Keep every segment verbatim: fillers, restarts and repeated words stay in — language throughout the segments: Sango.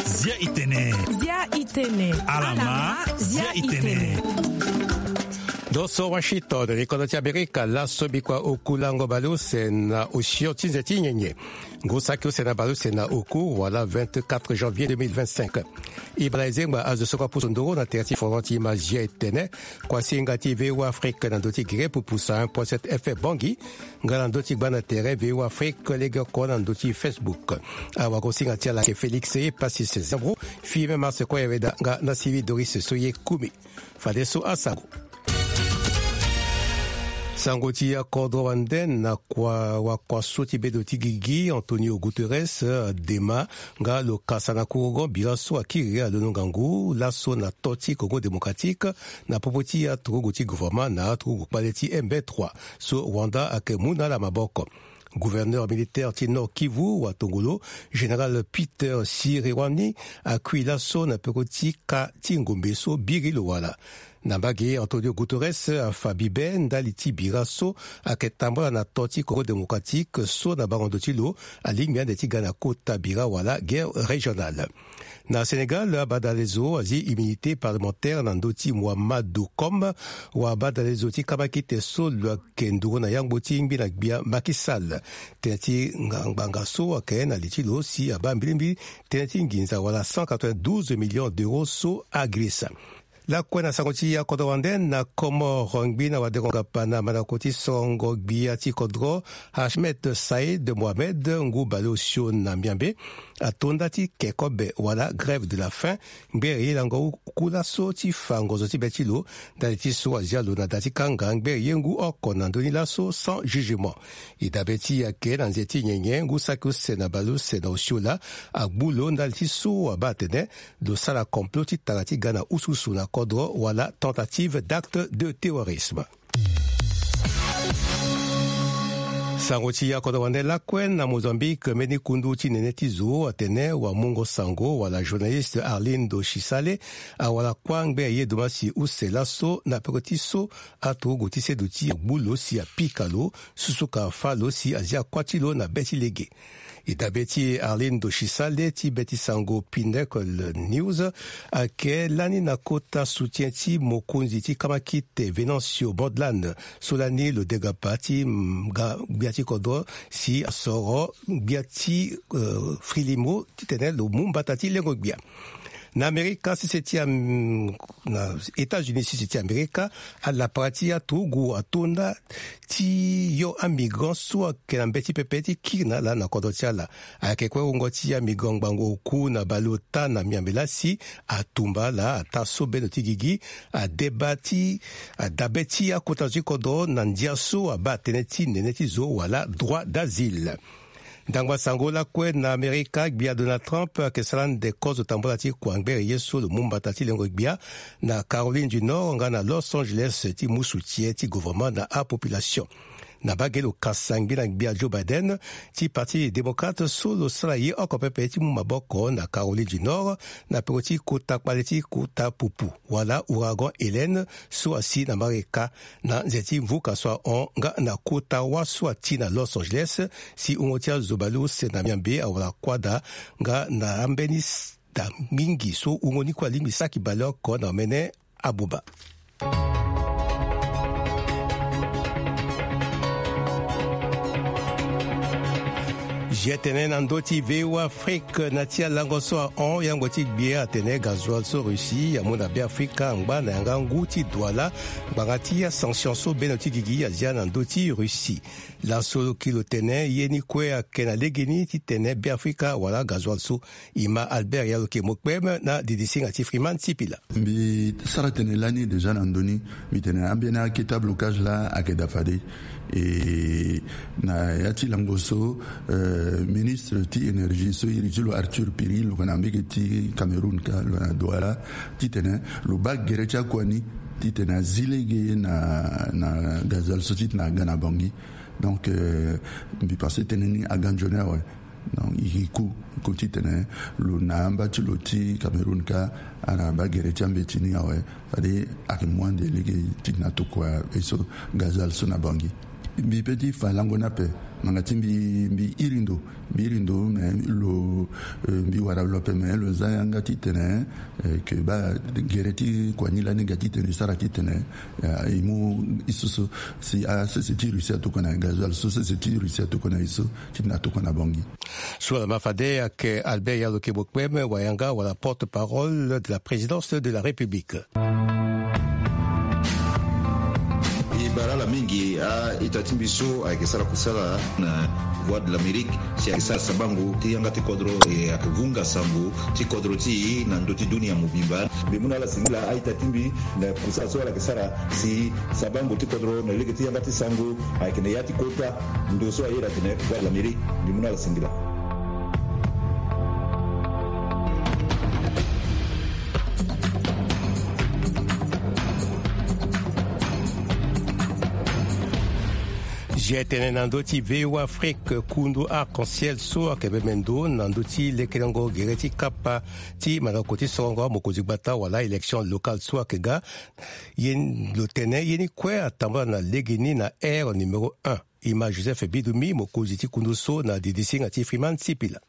Zia itene. Zia itene. Alama. Zia itene. Doso Washington, ni kodro ti Amerika. Laso bikua oku lango baleuse na osio ti nze ti nyenye. Ngu saki use na baleuse na oku wala vingt-quatre janvier deux mille vingt-cinq. Ibala ezengba azo so kua pusu nduru na tere ti fondement ti ma zia etene. Kuasinga ti V O A Afrique na ndö ti gere pupusa un point sept F M Bangui. Nga na ndö ti gba na tere V O A Afrique lege oko na ndö ti Facebook. Awagosinga ti ala ayeke Félix Epasis Zambro, Firmin Mars Koyaweda nga na Sylvie Doris Soye Kumi. Fadeso asango. Sango ti akodro wande na kua wakua so ti bedo ti gigi Antonio Guterres, eh, dema nga lo kasa na kurugo bira so akiri alondo ngangu laso na to ti Congo Démocratique na popo ti aturugu ti gouvernement na aturugu kpale ti M B trois so Rwanda ayeke mu na ala maboko. Gouverneur militaire ti Nord Kivu wa tongolo, général Peter Sirewani, akui laso na peko ti ka ti ngombe so biri lo wala. Na mbage, Antonio Guterres afa bibe ndali ti bira so ayeke tambula na to ti Congo Démocratique so na bango ndo ti lo alingbi ande ti ga na kota bira wala guerre régionale. Na Sénégal, abadalezo azi immunité parlementaire na ndö ti Mohamadou Com, wa abadalezo ti kamakite so lo ayeke nduru na yangbo ti ngbi na gbia Macky Sall. Tënë ti ngangbanga so ayeke na li ti lo si abaa mbilimbili tënë ti nginza wala cent quatre-vingt-douze millions d'euros so agirisa. Lakue na sango ti akodro wande na Comores, ngbi na wadengo ngapa na mandako ti sorongo gbia ti kodro Ahmed Said Mohamed, ngu baleosio na miambe, ato nda ti ke kobe wala grève de la faim. Ngbere ye lango ku laso ti fa ngonzo ti be ti lo ndali ti so azia lo na da ti kanga ngbere ye ngu oko na ndoni laso sans jugement. E dabe ti e ayeke na nze ti nyenye ngu saki use na baleuse na osio laa agbu lo ndali ti so abaa atene lo sara complot ti tara ti ga na usuusu na kodro wala tentative d'acte de terrorisme. Sango ti akodro wande lakue na Mozambique, mbeni kundu ti nene ti zo atene wamungo sango wala journaliste Arlindo Chisale awara kuâ ngbene ye domasi use laso na peko ti so aturugu ti seduti agbu lo si apika lo, susuka fâ lo si azia kuâ ti lo na be ti lege. E dabe ti Arlindo Chisale ti be ti sango Pinnacle News ayeke lani na kota soutien ti mokonzi ti kamakite Venancio Mondlane so lani lo degapa ti, mm, ga gbia ti kodro si asoro gbia ti, euh, Frelimo titene lo mu mbata ti lengo gbia. Na Amerika sese ti Am-, na États-Unis sese ti Amerika, alapara ti aturugu ato nda ti yo amigrant so ayeke na mbeti pepe ti kiri na ala na kodro ti ala. Ayeke kue wungo ti amigrant ngbangbo oku na baleota na miambe laa si atumba ala ataa so bendo ti gigi, adeba ti, adabe ti akota zo ti kodro na ndia so abaa tënë ti nene ti zo wala droit d'asile. Ndangba sango lakue na Amerika, gbia Donald Trump ayeke sara ande kozo tambula ti kua ngbere ye so lo mu mbata ti lengo gbia na Caroline du Nord nga na Los Angeles ti mu soutien ti gouvernement na apopulation. Na mbage lo kasa ngbi na gbia Joe Biden ti parti démocrate so lo sara ye oko pepe ti mu maboko na Caroline du Nord na peko ti kota kpale ti kota pupu wala ouragan Hélène so asi na Amerika na nze ti mvuka so ahon nga na kota wâ so ati na Los Angeles, si wungo ti azo baleuse na miambe awara kuâ daa nga na ambeni s-, daa mingi so wungo ni kue alingbi saki baleoko na omene abuba. Zia tene na ndö ti V O A Afrique na ti alango so ahon, yangbo ti gbia atene gazoil so Russie amu na Beafrika angba na yanga ngu ti Douala ngbanga ti asanction so bendo ti gigi azia na ndö ti Russie. Laso lo ki lo tene ye ni kue ayeke na legeni titene Beafrika awara gazoil so. E ma Albert Yaloke Mokpem na didisinga ti Freeman Sipila. Mbi sara tene lani déjà na ndö ni, mbi tene ambeni akete ablocage laa ayeke daa fade. E na ya ti lango so, euh, ministre ti énergie so iri ti lo Arthur Piri lo yeke na mbege ti Cameroun ka, lo yeke na Douala, titene lo baa gere ti akua ni titene azi lege na, na gazoil so titene aga na Bangui. Donc, euh, mbi pense tënë ni aga nzoni awe. Donc, e gi ku, ku titene lo na amba ti lo ti Cameroun ka, ala baa gere ti ambeti ni awe. Fade ayeke mu ande lege titene atokua ye so, gazoil so na Bangui. Mbi pe ti fa lango ni ape. Nanga ti mbi, mbi iri ndo, mbi iri ndo, me lo, eh, mbi wara lo ape, me lo za yanga titene, eh, ke baa gere ti kua ni lani ga titene e sara titene, eh, e mu e so so si asese ti Russie atokua na e, gazoil so sese ti Russie atokua na e so titene atokua na Bangui. So ala ma fade ayeke Albert Yaloke Bokpem, wayanga wala porte-parole de la présidence de la République. E bara ala mingi a-ita ti mbi so ayeke sara kusala na Voix de l'Amérique, si ayeke sara sabango ti yanga ti kodro, e ayeke vunga sango ti kodro ti e na ndö ti dunia mobimba. Mbi mu na ala singila a-ita ti mbi na kusala so ala yeke sara si sabango ti kodro na lege ti yanga ti sango ayeke na ya ti kota ndo so a iri atene Voix de l'Amérique. Mbi mu na ala singila. G T N na ndö ti V O A Afrique, kundu Arc-en-Ciel so ayeke bembe ndo na ndö ti lekerengo gere ti kapa ti mandako ti sorongo amokonzi gbata wala élection locale so ayeke ga. Ye lo tene ye ni kue atambula na legeni na aire numéro un. E ma Joseph Bidumi, mokonzi ti kundu so na didisinga ti Freeman Sipila.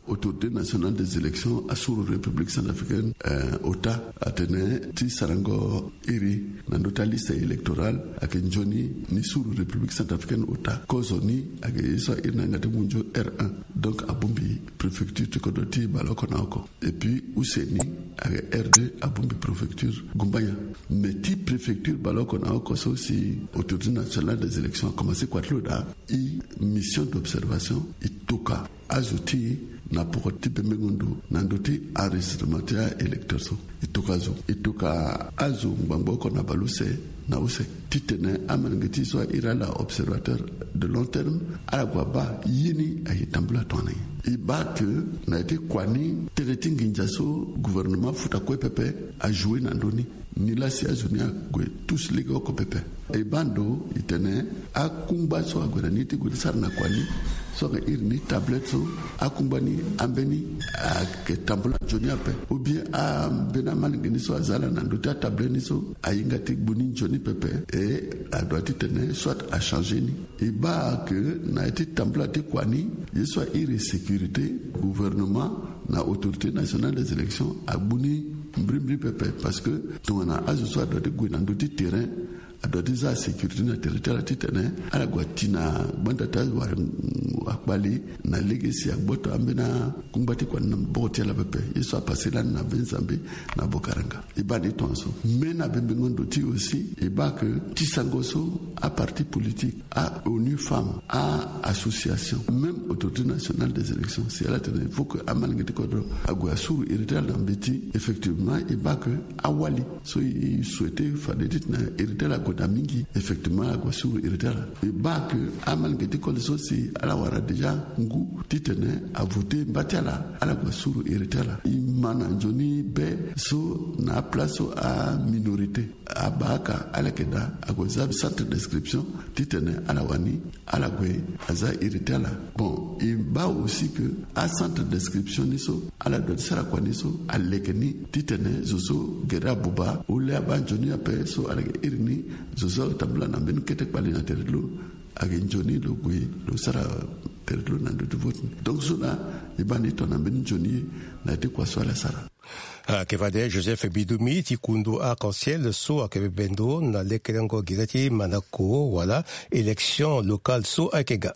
Autorité nationale des élections a suru République centrafricaine, eh, ota, atene ti sarango iri na ndö ti aliste électorale ayeke nzoni ni suru République centrafricaine ota. Kozo ni ayeke ye so a iri na yanga ti munzu R un. Donc abongbi préfecture ti kodro ti baleoko na oko. Et puis use ni ayeke R deux, abongbi préfecture Gumbanya. Mais ti préfecture baleoko na oko so si Autorité nationale des élections akomanse kua ti lo daa, e mission d'observation e tokua azo ti e na poko ti bembengo ndo na ndö ti enregistrement ti a-électeur so. E tokua azo, e tokua azo ngbangbo oko na baleuse na use titene amalenge ti e so a iri ala observateur de long terme, ala gue abaa ye ni aye tambula tongana nyen. E baa ke na ya ti kua ni, tënë ti nginza so gouvernement afuta kue pepe ajoue na ndö ni. Nilaa si azo ni ague tous legeoko pepe. E baa ndo e tene akungba so ague na ni ti gue ti sara na kua ni, so ayeke iri ni tablette so, akungba ni ambeni ayeke tambula nzoni ape. Ou bien ambeni amalenge ni so aza ala na ndö ti atablette ni so ahinga ti gbu ni nzoni pepe, e adua titene soit achangé ni. E baa ke na ya ti tambula ti kua ni, ye so a iri sécurité, gouvernement na Autorité nationale des élections agbu ni mbrimbri pepe, parce que tongana azo so adua ti gue na ndö ti terrain, adua ti za asécurité na tere ti ala titene ala gue ati na gbanda ti awara akpali na lege si agboto ambeni akungba ti kua ni na maboko ti ala pepe. Ye so apase lani na be Nzambe na Bokaranga. E baa ni tongaso. Mais na bembengo ndo ti e aussi, e baa ke ti sango so aparti politique, a-ONU Femmes, a-association, même Autorité nationale des élections, si ala tene il faut que amalenge ti kodro ague asuru iri ti ala na mbeti, effectivement e baa ke awali so e souhaité fade titene iri ti ala ague daa mingi, effectivement ala gue asuru iri ti ala. E baa ke amalenge ti koli so si ala wara déjà ngu titene avoté mba ti ala, ala gue asuru iri ti ala. E ma na nzoni be so na aplace so aminorité, abaaka ala yeke daa ague za centre d'inscription titene ala wani ala gue aza iri ti ala. Bon, e baa aussi ke acentre d'inscription ni so ala dua ti sara kua ni so aleke ni titene zo so gere abuba, ole abaa nzoni ape so ala yeke iri ni zo so atambula na mbeni kete kpali na tere ti lo, ayeke nzoni lo gue lo sara tere ti lo na ndö ti vote ni. Donc so na e baa ni tongana mbeni nzoni ye na ya ti kua so ala sara. Ayeke fade Joseph Bidumi ti kundu Arc-en-Ciel so ayeke bebe ndo na lekerengo gere ti mandako wala élection locale so ayeke ga.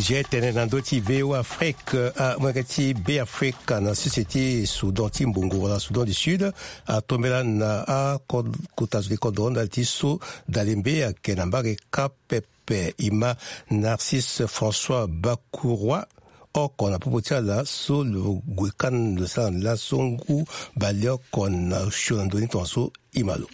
G T N tene na ndö ti V O A Afrique, amolenge ti Beafrika na sese ti Soudan ti mbongo wala Soudan du Sud atombela na akota zo ti kodro ndali ti so dalembe ayeke na mbage kapa pepe. E ma Narcisse François Bakouroi oko na popo ti ala so lo gue kani lo sara na laso ngu baleoko na osio na ndö ni tongaso. E ma lo.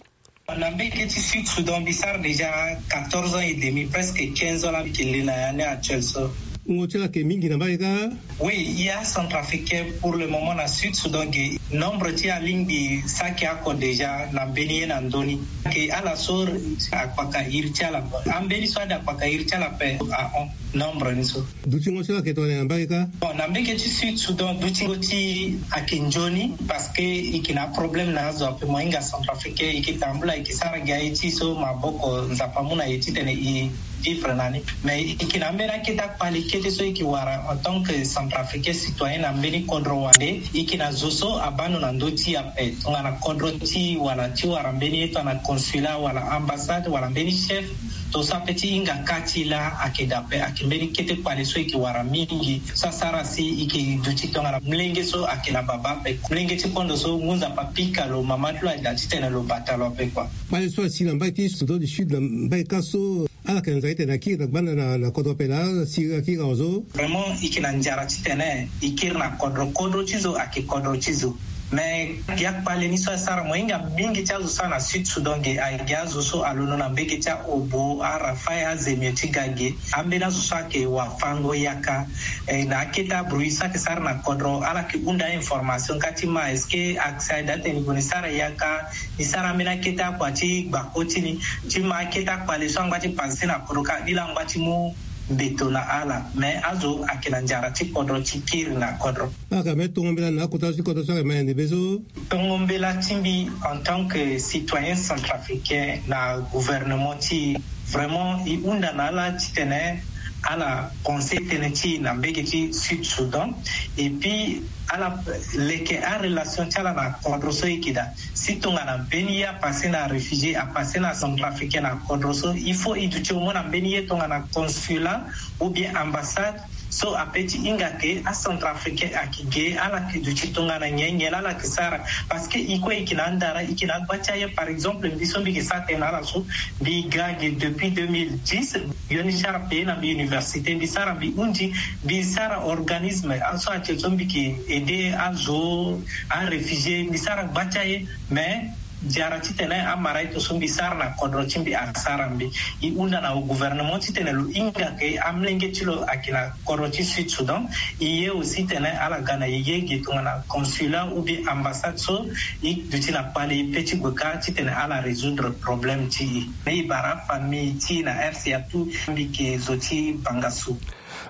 Na mbage ti Sud Soudan mbi sara déjà quatorze ans et demi, presque quinze ans la mbi yeke le na année actuelle so. Wungo ti ala yeke mingi na mbage kâ. Oui, e a centrafricain pour le moment na Sud Soudan ge. Nombre ti alingbi saki oko déjà na mbeni ye na ndö ni. Ke ala so akpaka iri ti ala. Ambeni so ade akpaka iri ti ala ape ahon. Nombre ni so. Dutingo ti lo ayeke tongana nyen na mbage kâ? Bon, na mbage ti Sud Soudan, dutingo ti e ayeke nzoni, parce que e yeke na aproblème na azo ape. Mo hinga centrafricain, e yeke tambula, e yeke sara gi aye ti e so maboko, Nzapa amu na e titene e vivre na ni. Mais e yeke na ambeni akete akpale kete so e yeke wara en tant que centrafricain citoyen na mbeni kodro wande. E yeke na zo so abâ ndo na ndö ti e ape, tongana kodro ti e wala ti wara mbeni ye tongana consulat wala ambassade wala mbeni chef, to so ape ti hinga kâ ti e laa ayeke daa ape. Ayeke mbeni kete kpale so e yeke wara mingi so asara si e yeke duti tongana molenge so ayeke na babâ ape. Molenge ti kpando so ngu Nzapa apika lo, mama ti lo aye daa titene lo bata lo ape kua. Kpale so asi na mbage ti Soudan du Sud, na mbage kâ so ala yeke na nzara titene akiri na gbanda na, na kodro ape laa, asi akiri na zo. Vraiment, e yeke na nzara titene e kiri na kodro. Kodro ti zo ayeke kodro ti zo. Mais gi akpale ni so asara, mo hinga mingi ti azo so ana Sud Soudan ge, ayeke gi azo so alondo na mbage ti a-Obo, a-Rafah, a-Zemio ti ga ge. Ambeni azo so ayeke wafango yaka, eh, na akete abruit so ayeke sara na kodro, ala yeke hunda information kâ ti ma, est-ce que accès aye daa titene e gue ni sara yaka, ni sara ambeni akete akua ti gbako ti ni, ti ma akete akpale so angba ti panse na kodro kâ, ni laa angba ti mu mbeto na ala. Mais azo ayeke na nzara ti kodro ti kiri na kodro. Ala yeke na mbeni tongo mbela na akota so ti kodro so ayeke ma yande be so. Tongo mbela ti mbi en tant que citoyen centrafricain na gouvernement ti e, vraiment e hunda na ala titene ala pense tënë ti e na mbage ti Sud Soudan, et puis ala leke arelation ti ala na kodro so e yeke daa. Si tongana mbeni ye apasse na réfugié, apasse na centrafricain na kodro so, il faut e duti au moins na mbeni ye tongana consulat ou bien ambassade so ape ti hinga ke acentrafricain ayeke ge, ala yeke duti tongana nyen, nyen laa ala yeke sara. Parce que e kue e yeke na andara, e yeke na agba ti aye. Par exemple mbi so mbi yeke sara tënë na ala so, mbi ga ge depuis deux mille dix. Yo ni ti ala paye na mbi université, mbi sara, mbi hundi, mbi sara organisme so atien so mbi yeke aider azo, aréfugié, mbi sara gba ti aye. Mais nzara titene amara ito so mbi sara na kodro ti mbi asara mbi. E hunda na gouvernement titene lo hinga ke amolenge ti lo ayeke na kodro ti Sud Soudan. E ye aussi titene ala ga na e ye ge tongana consulat ou bien ambassade so e duti na kpale e pe ti gue kâ titene ala résoudre problème ti e. Mais e bara afamille ti e na R C A tout, mbi yeke zo ti Bangassou.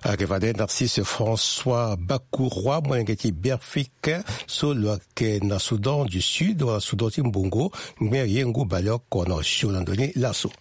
Ayeke fade Narcisse François Bakou Roy, molenge ti Beafrika so lo yeke na Soudan du Sud wala Soudan ti Mbongo, ngbene ye ngu bale oko na osio na ndo ni laso.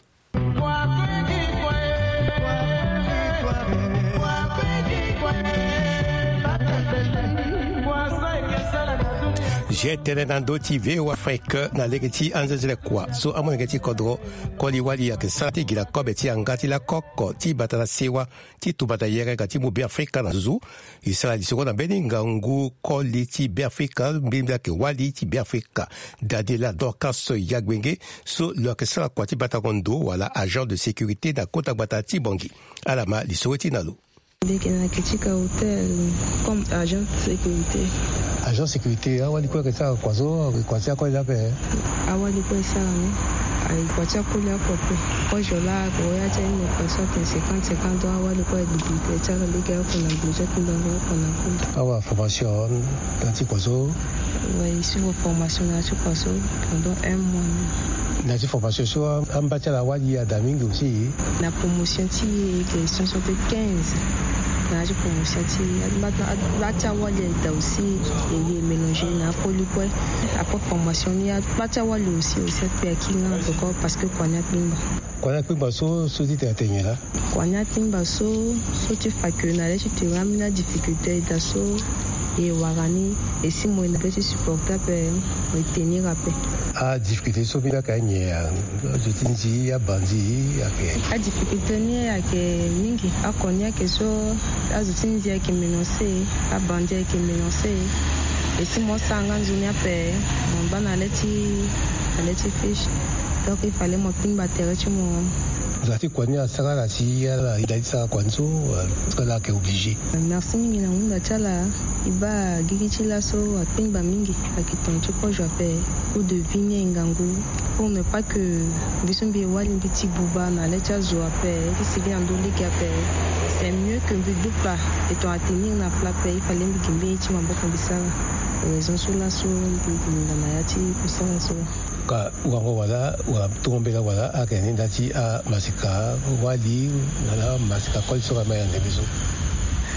Zia tënë na ndö ti V O A Afrique na lege ti anzenze le kua so amolenge ti kodro koli wali ayeke sara ti gi na kobe ti yanga ti lakoko ti bata na sewa ti tumba na yere ga ti mu Beafrika na nzuzu. E sara lisoro na mbeni ngangu koli ti Beafrika, mbeni mbi ayeke wali ti Beafrika, Daniela Dorcas Yagbenge, so lo yeke sara kua ti batango ndo wala agent de sécurité na kota gbata ti Bangui. Ala ma lisoro ti na lo. Ndeke na yeke ti ka hôtel comme agent de sécurité. Agent sécurité, awali kue ayeke sara kua so, kua ti akoli ape? Awali kue e sara ni, ayeke kua ti akoli oko ape. Kozo laa ayeke ya ti aye ni, kua so ayeke cinquante cinquante ans, awali kue ayeke duti ti ala lege oko na gbe ti akunda oko na kunda. Awa formation na ya ti kua so? Ouais, e suivre formation na ya ti kua so pendant un mois. Na ya ti formation so, amba ti ala awali ada mingi aussi? Na promotion ti e ayeke cent soixante-quinze. Na ya ti promotion ti e, amba ti awali ada aussi e ye mélanger na akoli kue. Après formation ni, amba ti awali aussi, aussi akpe akiri nga encore parce que kua ni akpengba. Kua ni akpengba so, so ti tene atene nyen laa? Kua ni akpengba so, so ti fa ke na le ti tere ambeni adifficulté aye daa so, e wara ni, e si mo yeke na be ti supporter ape, mo yeke tenir ape. Adifficulté so mbi yeke anyen ya? Azo ti nzi, abandi, ayeke. Adifficulté ni ayeke mingi. Oko ni ayeke so, azo ti nzi ayeke menacé, abandi ayeke menacé. E si mo sara nga nzoni ape, mo baa na le ti, na le ti fiche. Donc il fallait mo kpingba tere ti mo. Nzara ti kua ni asara ala si ala ita ti sara kua ni so, euh, parce que ala yeke obligé. Merci mingi na hunda ti ala. E baa gigi ti laso akpingba mingi, ayeke tongana ti kozo ape. Coût de vie ni aye ngangu. Pour ne pas que mbi so mbi ye wali mbi ti buba na le ti azo ape, ti sigi na ndö lege ape. C'est mieux que mbi du plat, e tongana tenir na plat ape, il fallait mbi gi mbeni ye ti maboko mbi sara. Raison so laso mbi linda na ya ti kosala so. Ka wango wala wala tongo mbela wala ayeke na ni nda ti amasika wali wala masika koli so ka ma yande mbi so.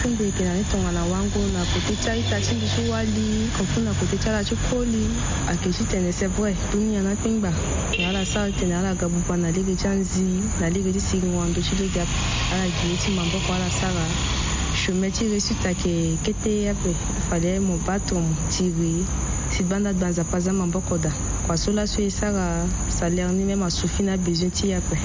Mbi yeke na ni tongana wango na kote ti a-ita ti mbi so wali, comme na kote ti ala ti koli. Ayeke titene c'est vrai, dunia na akpengba. Na ala sara titene ala ga buba na lege ti anzi, na lege ti siringo na ndö ti lege ape. Ala gi ye ti maboko ala sara. Chemin ti réussite ayeke kete ape. Fade mo bâ tongo mo tiri. Si gbanda gba Nzapa aza maboko daa. Kua so laso e sara salaire ni même asuffit na besoin ti e ape.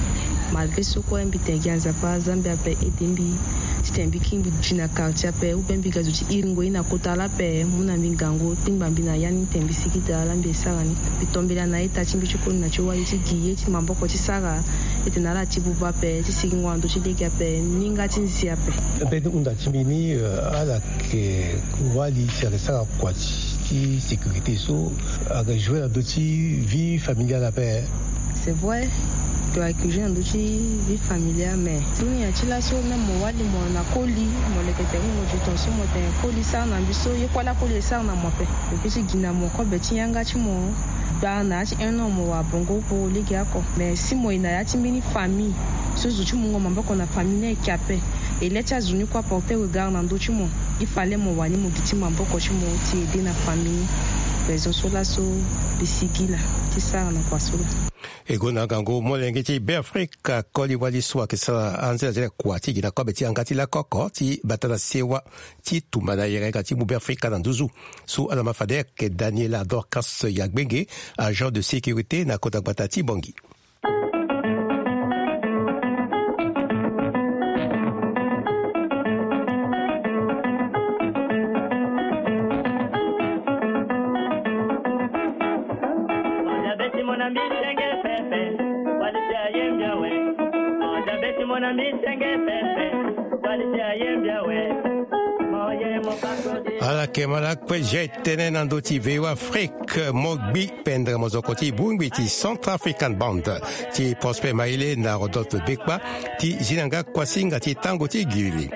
Malgré so kue mbi tene gi na Nzapa aza mbi ape aide mbi. Titene mbi kiri mbi gi na quartier ape ou bien mbi ga zo ti iringo ye na kota laa ape mu na mbi ngangu kpengba mbi na ya ni tene mbi sigi daa laa mbi e sara ni. Mbi tombela na a-ita ti mbi ti koli na ti wali ti gi ye ti maboko ti sara. Ete na ala ti buba ape ti siringo na ndö ti lege ape minga ti nzi ape. Mbeni hunda ti mbi ni, eh, ala yeke wali si ayeke sara kua ti sécurité so ayeke jouer na ndö ti vie familiale ape. C'est vrai, to ayeke jouer na ndö ti vie familiale mais dunia ti laso même mo wali mo na koli, mo leke tene mo du ton so mo tene koli sara na mbi so ye kue laa koli e sara na mo ape. Lo peut ti gi na mo kobe ti yanga ti mo. Gbaa na ya ti un an mo wara bongo oko lege oko mais si mo ye na ya ti mbeni famille so zo ti mungo maboko na famille ni ayeke ape. E le ti azo ni kue aporter regard na ndö ti mo. Il fallait mo wani mo gi ti maboko ti mo ti aider na famille ni. Raison so laso mbi sigi laa ti sara na kua so laa. E gonda ngangu molenge ti Beafrika koli wali so ayeke sara anzela ti kua ti gi na kobe ti yanga ti lakoko ti bata na sewa ti tumba na yere nga ti mu Beafrika na nduzu. So ala ma fade ayeke Daniela Dorcas Yagbenge, agent de sécurité na kota gbata ti Bangui. Ala yeke ma lakue zia e tënë na ndö ti V O A Afrique, mo gbi pendere mozoko ti bongbi ti Centrafrican Band ti Prosper Maïlé na Rodolphe Bekpa ti zi na nga kuasinga ti tango ti giriri.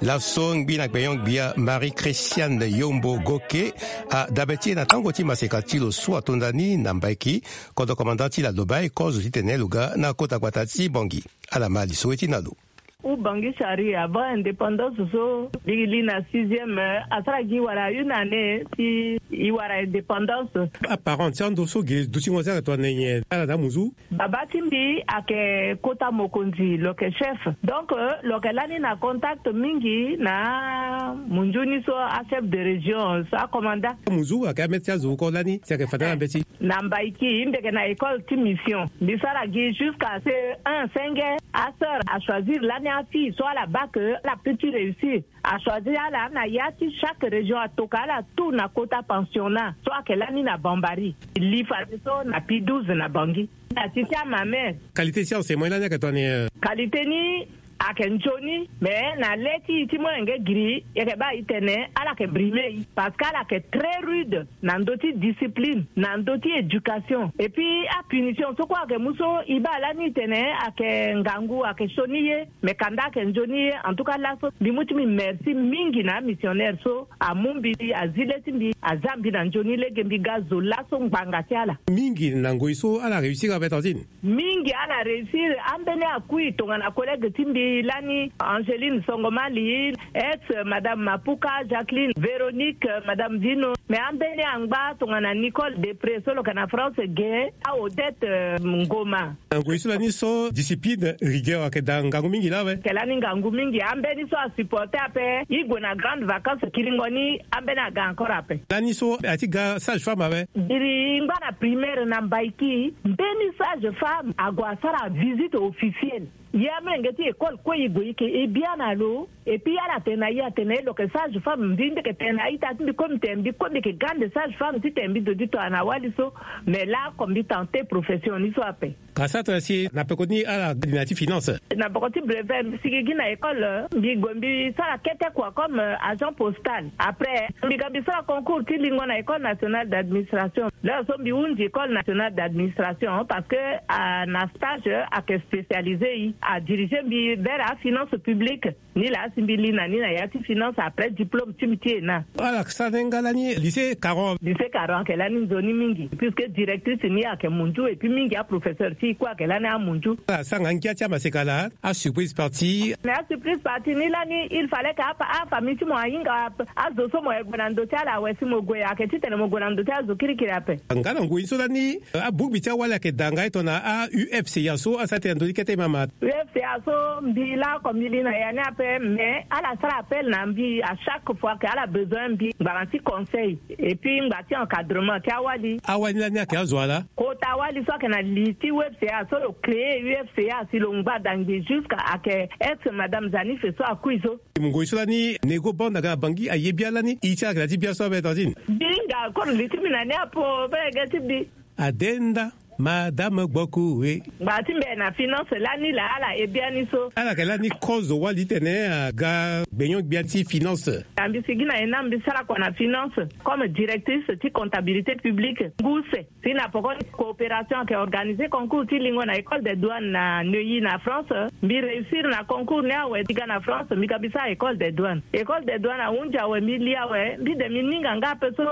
Laso ngbi na gbenyo-gbia Marie Christiane Yombo Goke adabe ti e na tango ti maseka ti lo so atonda ni na Mbaiki, kodro commandant ti Ladoba e kozo titene lo ga na kota gbata ti Bangui. Ala ma li so we ti na lo. Ou Bangui Chari avant indépendance so, mbi li na sixième, asara gi wala une année si i wara indépendance. Aparent ti ando so gi dutingo so ayeke tongana nyen, ala na amuzu? Baba ti mbi ayeke kota mokonzi, lo yeke chef. Donc, euh, lo yeke lani na contact mingi na munzu ni so, achef de région so, acommandant. Amuzu ayeke ambeti azo oko lani si ayeke fade na mbeti. Na Mbaiki, mbi yeke na école ti mission. Mbi sara gi jusqu'à C E un senge. Asœur achoisir lani afille so ala bac, ala peut ti réussir. Achoisir ala na ya ti chaque région, atoka ala tout na kota pensionnat so ayeke lani na Bambari. Li fadeso na P douze na Bangui. Na ti ti amamere. Qualité ti enseignement lani ayeke tongana nyen? Qualité ni ayeke nzoni, mais na le ti e ti molenge giri, e yeke baa e tene ala yeke brimer e, parce que ala yeke très rude na ndö ti discipline, na ndö ti éducation. Et puis apunition so kue ayeke mu so, e baa lani e tene ayeke ngangu, ayeke sioni ye, mais kanda ayeke nzoni ye. En tout cas laso mbi mu ti mbi merci mingi na amissionnaire so amu mbi, azi le ti mbi, aza mbi na nzoni lege mbi ga zo laso ngbanga ti ala. Mingi na ngoi so ala réussir ape, tantine. Mingi ala réussir, ambeni akui tongana collègue ti mbi lani, Angeline Songomali, ex madame Mapuka, Jacqueline, Véronique, madame Vino, mais ambeni angba tongana Nicole Depré so lo yeke na France ge, a Odette, euh, Ngoma. Na ngoi so lani so discipline, rigueur ayeke daa ngangu mingi laa awe. Ayeke lani ngangu mingi, ambeni so asupporter ape, e gue na grande vacance kiringo ni, ambeni aga encore ape. Lani so a ti ga sage femme awe. Biri e ngba na primaire na Mbaiki, mbeni sage femme ague asara visite officielle. Ye amolenge ti école kue e gue e yeke e bia na lo. Et puis ala tene na e atene lo yeke sage femme, mbi mbi yeke tene na a-ita ti mbi kue, mbi tene mbi kue mbi yeke grande sage femme titene mbi zo ti tongana wali so. Mais laoko mbi tenter profession ni so ape. Ka sara tongana si na peko ni ala gi na ya ti finance. Na peko ti brevet mbi sigi gi na école, mbi gue mbi sara kete kua comme, euh, agent postal. Après mbi ga mbi sara concours ti lingo na école nationale d'administration. L'heure so mbi hunzi école nationale d'administration parce que, euh, na stage, euh, ayeke spécialisé e. Adirige mbi vers afinance publique. Ni laa si mbi li na ni na ya ti finance après diplôme ti mbi ti ena. Ala sara ni nga lani lycée Caron. Lycée Caron ayeke lani nzoni mingi puisque directrice ni ayeke munju et puis mingi aprofesseur ti e kue ayeke lani amunju. Ala sara nga ngia ti amaseka laa. Asurprise partie. Mais asurprise partie ni lani il fallait que afamille ti mo ahinga. Azo so mo ye gue na ndo ti ala awe si mo gue ayeke titene mo gue na ndo ti azo kirikiri ape. Nga na ngoi so lani abugbi ti awali ayeke daa nga e tongana a U F C A so asara tena ndoni kete mama. U F C A so mbi laa oko mbi li na ya ni ape mais ala sara appel na mbi à chaque fois que ala besoin mbi ngbanga ti conseil et puis ngba ti encadrement ti awali. Awali lani ayeke azo ala. Kota awali so ayeke na li ti U F C A so lo créer U F C A si lo ngba dangbi jusqu'à ayeke ex madame Zanife so akui so. Ngoi so lani Nego Banda ga na Bangui aye bia lani i ti ala ga na ti bia so abe tantine. Bi nga koro li ti mbi na ni apo be ge ti bi. Adenda madame Gboku e. Ngba ti mbi na finance lani laa ala e bia ni so. Ala yeke lani kozo wali tene aga gbenyon-gbia ti finance. Na mbi sigi na ena mbi sara kua na finance comme directrice ti comptabilité publique ngu se. Si na poko ni coopération ayeke organiser concours ti lingo na école des douanes na Neuilly na France. Mbi réussir na concours ni awe mbi ga na France mbi ga mbi sara école des douanes. École des douanes ahunzi awe mbi li awe mbi de mbi ninga nga ape so.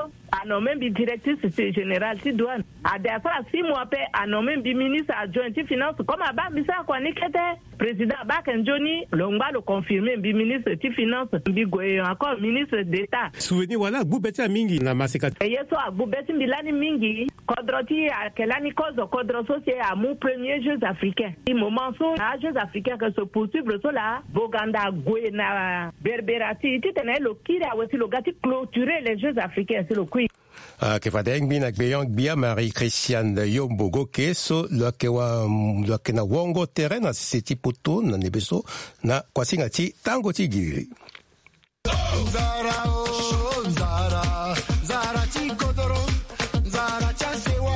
Anomme mbi directrice générale ti douane. Ade asara six mois ape anomme mbi ministre adjoint ti finance comme abaa mbi sara kua ni kete. Président abaa ayeke nzoni lo ngba lo confirmer mbi ministre ti finance mbi gue encore ministre d'état. Souvenir wala agbu be ti ala mingi na maseka. Ye so agbu be ti mbi lani mingi. Kodro ti e ayeke lani kozo kodro so si e amu premier jeux africains. Ti moment so na ajeux africains ayeke se poursuivre so laa Boganda ague na berbera ti e titene lo kiri awe si lo ga ti clôturer les jeux africains si lo kui. Ayeke fade ngbi na gbeyon-gbia Marie Christiane Yombo Goke so lo yeke wa lo yeke na wongo tere na sese ti poto na ndembe so na kuasinga ti tango ti giriri. Nzara o nzara, nzara ti kodoro, nzara ti asewa.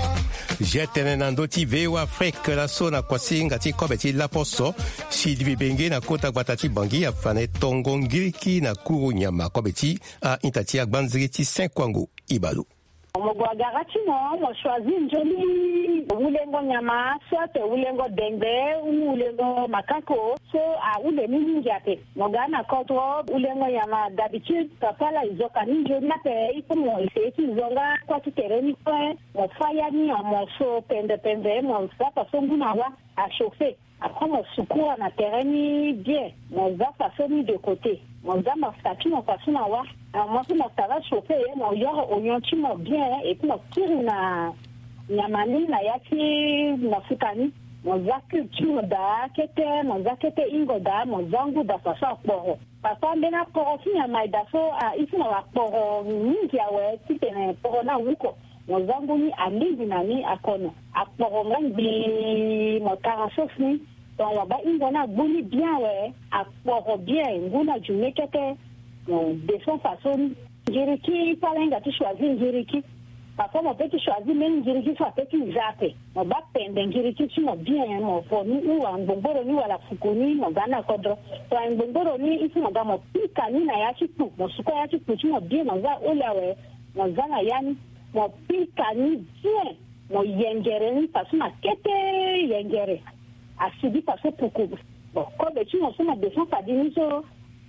Je tene na ndö ti V O Afrique laso na kuasinga ti kobe ti laposo. Sylvie Benge na kota gbata ti Bangui afa na e tongo ngiriki na kuru nyama kobe ti a-ita ti agbanziri ti Saint Kouangou. Ibalu. Mo gue agara ti mo mo choisir nzoni wulengo nyama soit wulengo dengbe ou wulengo makako so ahule ni mingi ape. Mo ga na kodro wulengo nyama d'habitude papa la e zo ka ni nzoni ape il faut mo essayer ti zo nga kua ti tere ni kue. Mo fa ya ni en morceau pembe pembe mo za faso ngu na wa achauffer. Après mo sukura na tere ni bien. Mo za faso ni de côté. Mo za mafuta ti mo faso na wa. Mo so mafuta la chauffer mo yoro oignon ti mo bien et puis mo kiri na nyama ni na ya ti mafuta ni. Mo za cube ti mo daa kete mo za kete hingo daa mo za ngu daa faso akporo. Papa mbeni akporo ti nyama e daa so a i ti mo akporo mingi awe titene kporo ni awuko. Mo za ngu ni alingbi na ni akono akporo nga ngbii mo tara sauce ni. Donc mo baa hingo ni agbu ni bien awe akporo bien ngu ni ajume kete. Mo descend faso ni. Ngiriki ti ala hinga ti choisir ngiriki. Parfois mo peut ti choisir mbeni ngiriki so apeut ti za ape. Mo baa pende ngiriki ti mo bien mo vo ni ou angbongboro ni wala fuku ni mo ga ni na kodro. To angbongboro ni il faut mo ga mo pika ni na ya ti kpu mo sukua ya ti kpu ti mo bien mo za aholi awe. Mo za na ya ni mo pika ni bien. Mo yengere ni faso na kete yengere. Asigi faso puku. Bon kobe ti mo so mo descend fadi ni so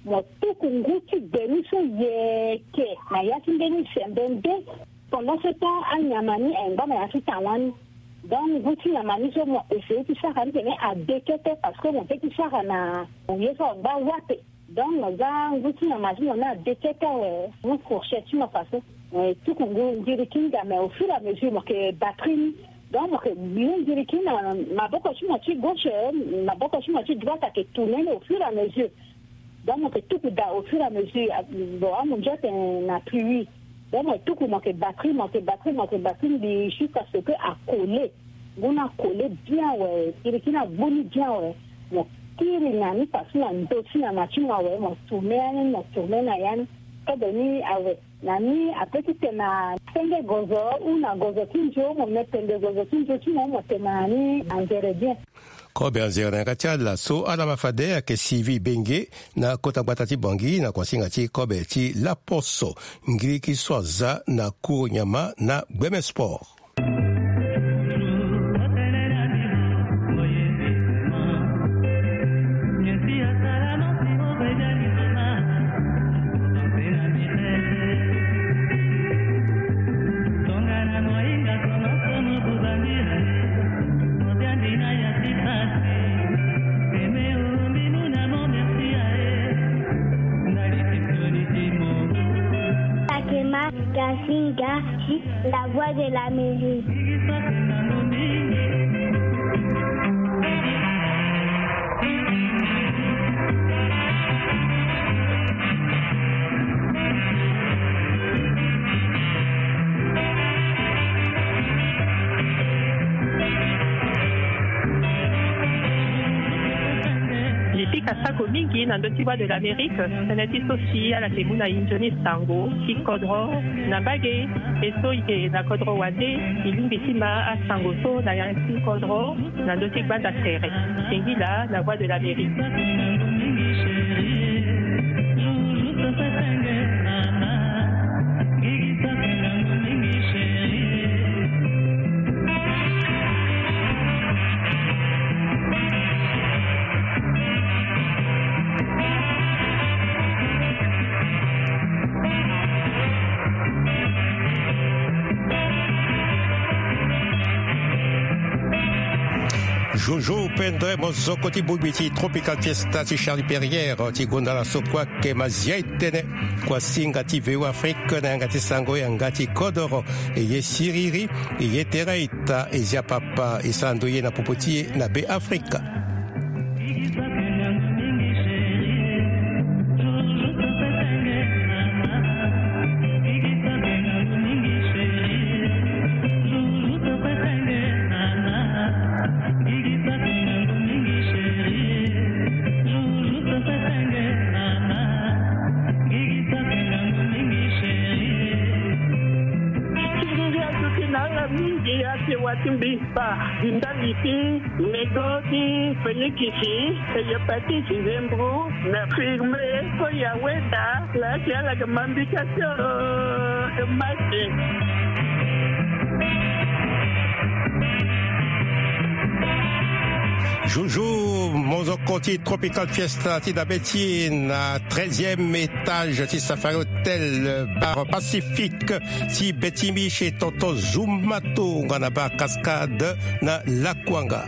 mo tuku ngu ti gbe ni so yeke na ya ti mbeni sembe nde. Pendant ce temps anyama ni ayeke ngba na ya ti tanga ni. Donc ngu ti nyama ni so mo essayer ti sara ni tene ade kete parce que mo peut ti sara na ye so angba wape. Donc mo za ngu ti nyama ti mo ni ade kete awe. Mu fourchette ti mo faso mo ye tuku ngu ngiriki nga mais au fur et à mesure mo yeke batri ni. Donc mo yeke mu ngiriki na maboko ti mo ti gauche maboko ti mo ti droite ayeke tourner ni au fur et à mesure. Donc mo yeke tuku daa au fur et à mesure. Bon amunzu atene na pluie. Donc mo tuku mo yeke batri mo yeke batri mo yeke batri mbi jusqu'à ce que akole. Ngu ni akole bien awe ngiriki ni agbu ni bien awe. Mo kiri na ni faso na ndö ti nyama ti mo awe mo tourner ya ni mo tourner na ya ni. Kobe ni awe. Na ni apeut ti tene na senge gozo ou na gozo ti nzio mo me pende gozo ti nzio ti mo mo tene na ni anzere bien. Kobe anzere na yanga ti ala so ala ma fade ayeke Sylvie Benge na kota gbata ti Bangui na kuasinga ti kobe ti laposo. Ngiriki so aza na kuru nyama na gbeme sport. Kasinga, la voix de l'Amérique. Li pika sako mingi na ndö ti Voix de l'Amérique, tënë ti so si ala yeke mu na e nzoni sango ti kodro na mbage. E so e yeke na kodro wande, e lingbi ti ma asango so na ya ti kodro na ndö ti gbanda tere. Singila na Voix de l'Amérique. Jojo Pendre, mozoko ti bongbi ti Tropical Fiesta ti Charlie Perrier ti gonda na so kue ayeke mazia e tënë. Kuasinga ti V O Afrique na yanga ti sango yanga ti kodoro. E ye siriri, e ye tere ita, e zia papa, e sara ndo ye na popo ti e na Be Afrika. Ti ngia ti ti na ala mingi ate wa ti mbi ba di ndali ti nego ti fenikisi, hepatite, zembro, na firme, so ya weda la ti ala ga mambika ti mate. Joujou, mozoko ti Tropical Fiesta ti dabe ti e na treizième étage ti Safari Hotel, Bar Pacifique ti Betimiche, tonton Zumato nga na Bar Cascade na Lakuanga.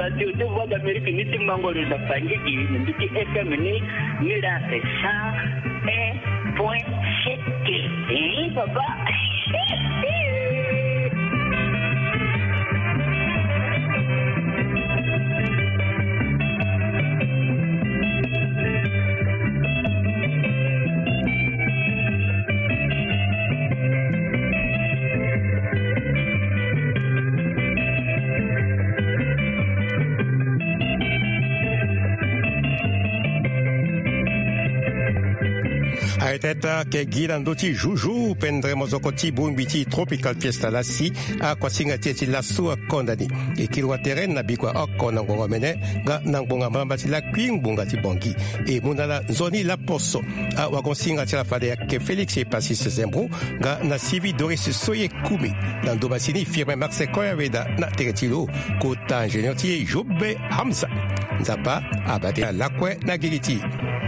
Radio de Voix d'Amérique ni ti mango lo na Bangui gi na ndu ti F M ni, ni la cent un point sept. Eh, papa. Aye teta ke gi na ndö ti Joujou Pendre, mozoko ti bongbi ti Tropical Fiesta lasi. Akuasinga ti e ti laso akonda ni. E kiri watere na bikua oko na ngonga omene nga na ngbonga mbalambala ti lakui ngbonga ti Bangui. E mu na ala nzoni laposo. Awagosinga ti ala fade ayeke Félix Epasis Zembro nga na Sylvie Doris Soye Kumi. Na ndo masini firme Max Koyaweda na tere ti lo. Kota ingénieur ti e Jobe Hamza. Nzapa abate na lakue na gigi ti e.